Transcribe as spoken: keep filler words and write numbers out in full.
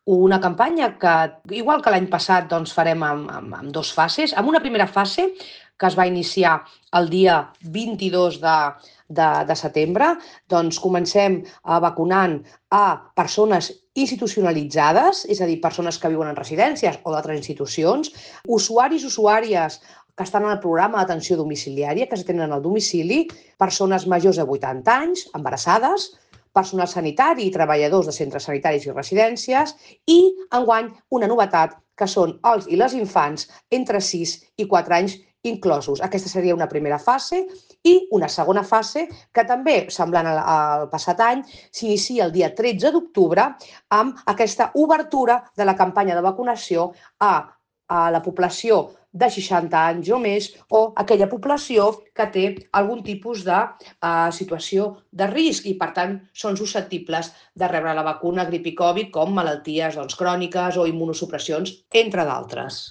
Una campanya que, igual que l'any passat, doncs farem amb, amb, amb dos fases. En una primera fase, que es va iniciar el dia vint-i-dos de, de, de setembre, doncs comencem a vacunant a persones institucionalitzades, és a dir, persones que viuen en residències o d'altres institucions, usuaris, usuàries que estan en el programa d'atenció domiciliària, que s'atenen al domicili, persones majors de vuitanta anys, embarassades, personal sanitari i treballadors de centres sanitaris i residències i, enguany, una novetat, que són els i les infants entre sis i quatre anys inclosos. Aquesta seria una primera fase i una segona fase que també, semblant al, al passat any, s'inicia el dia tretze d'octubre amb aquesta obertura de la campanya de vacunació a, a la població de seixanta anys o més o aquella població que té algun tipus de uh, situació de risc i, per tant, són susceptibles de rebre la vacuna grip i Covid com malalties doncs, cròniques o immunosupressions, entre d'altres.